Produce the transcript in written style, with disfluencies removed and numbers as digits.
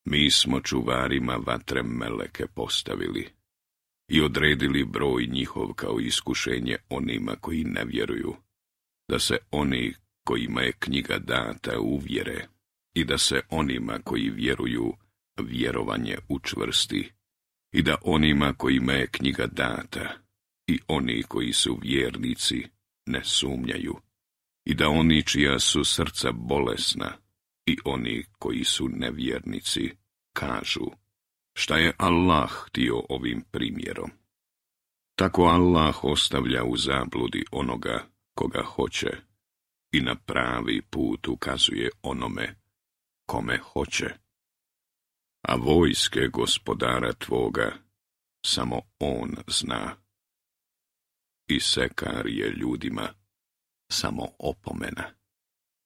Mi smo čuvarima vatre meleke postavili i odredili broj njihov kao iskušenje onima koji ne vjeruju, da se oni kojima je knjiga data uvjere i da se onima koji vjeruju vjerovanje učvrsti i da onima kojima je knjiga data i oni koji su vjernici ne sumnjaju i da oni čija su srca bolesna i oni koji su nevjernici kažu: šta je Allah htio ovim primjerom? Tako Allah ostavlja u zabludi onoga koga hoće i na pravi put ukazuje onome kome hoće. A vojske gospodara tvoga samo on zna. I sekar je ljudima samo opomena.